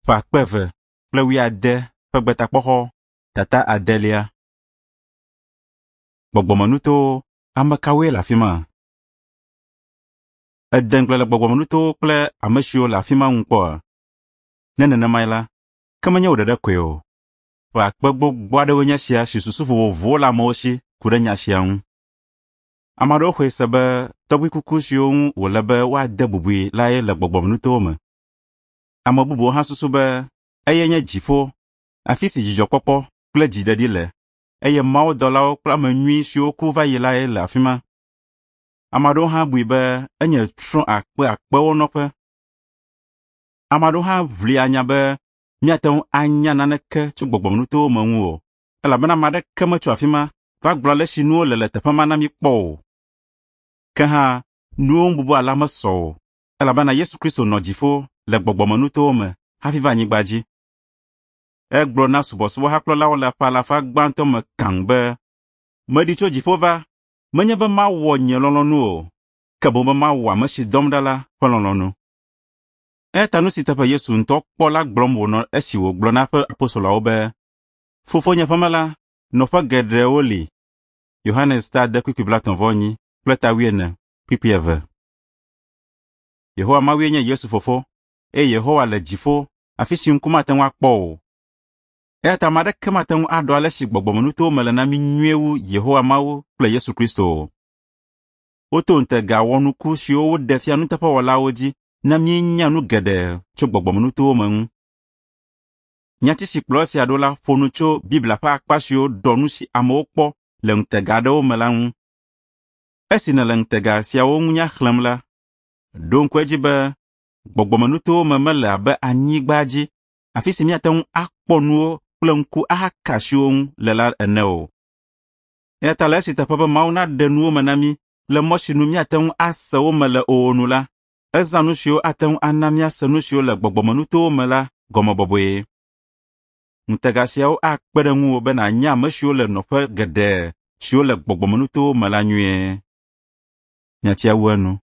Ƒe akpe eve kple wuiade ƒe Gbetakpɔxɔ tata adelia. Gbɔgbɔmenutowo, ame kawoe le afi ma? Ède ŋugble le gbɔgbɔmenutowo kple ame siwo le afi ma ŋu kpɔa? Ne nenemae la, ke menye wò ɖeɖe koe o. Ƒe akpe gbogbo aɖewoe nye esia si susu vovovowo le amewo si ku ɖe nya sia ŋu. Ame aɖewo xɔe se be tɔgbui kuku siwo ŋu wòle be woade bubui lae le gbɔgbɔmenutowo me. Ame bubuwo hã susu be eyae nye dziƒo, afi si dzidzɔkpɔkpɔ kple dziɖeɖi le, eye mawudɔlawo kple ame nyui siwo ku va yi lae le afi ma. Ame aɖewo hã bui be enye trɔ̃ akpeakpewo nɔƒe. Ame aɖewo hã ʋlia nya be míate ŋu anya naneke tso gbɔgbɔmenutowo me ŋu o, elabena ame aɖeke metso afi ma va gblɔ ale si nuwo le le teƒe ma na mí kpɔ o. Ke hã, nuwo ŋu bubu alea mesɔ o, elabena Yesu Kristo nɔ dziƒo le gbɔgbɔmenutowo me hafi va anyigba dzi. Egblɔ na subɔsubɔhakplɔlawo le ƒe alafa gbãtɔ me kaŋ be, “Meɖi tso dziƒo va, menye be mawɔ nye lɔlɔ̃nu o, ke boŋ be mawɔ ame si dɔm ɖa la ƒe lɔlɔ̃nu.” Eya ta nu si teƒe Yesu ŋutɔ kpɔ la gblɔm wònɔ esi wògblɔ na eƒe apostoloawo be, “Fofonye ƒe me la, nɔƒe geɖewo li.” Yohanes ta ade kpukpui blaetɔ̃ vɔ enyi kple ta wuiene kpukpui eve. Yehowa Mawue nye Yesu fofo, eye Yehowa le dziƒo, afi si ŋku mate ŋu akpɔ o. Eya ta ame aɖeke mate ŋu aɖɔ ale si gbɔgbɔmenutowo me le na mí nyuie wu Yehowa Mawu kple Yesu Kristo o. Woto ŋutega wɔnuku siwo woɖe fia nuteƒewɔlawo dzi na míenya nu geɖe tso gbɔgbɔmenutowo me ŋu. Nyati si kplɔ esia ɖo la ƒo nu tso Biblia ƒe akpa siwo ɖɔ nu si amewo kpɔ le ŋutega aɖewo me la ŋu. Esi nèle ŋutega siawo ŋu nya xlẽm la, ɖo ŋku edzi be gbɔgbɔmenutowo me mele abe anyigba dzi, afi si míate ŋu akpɔ nuwo kple ŋku ahaka asi wo ŋu le la ene o. Eya ta le esi teƒe be Mawu naɖe nuwo me na mí le mɔ si nu míate ŋu ase wo me le o nu la, ezã nu siwo ate ŋu ana míase nu siwo le gbɔgbɔmenutowo me la gɔme bɔbɔe. Ŋutega siawo akpe ɖe ŋuwò be nànya ame siwo le nɔƒe geɖe siwo le gbɔgbɔmenutowo me la nyuie. Nyatia wu enu.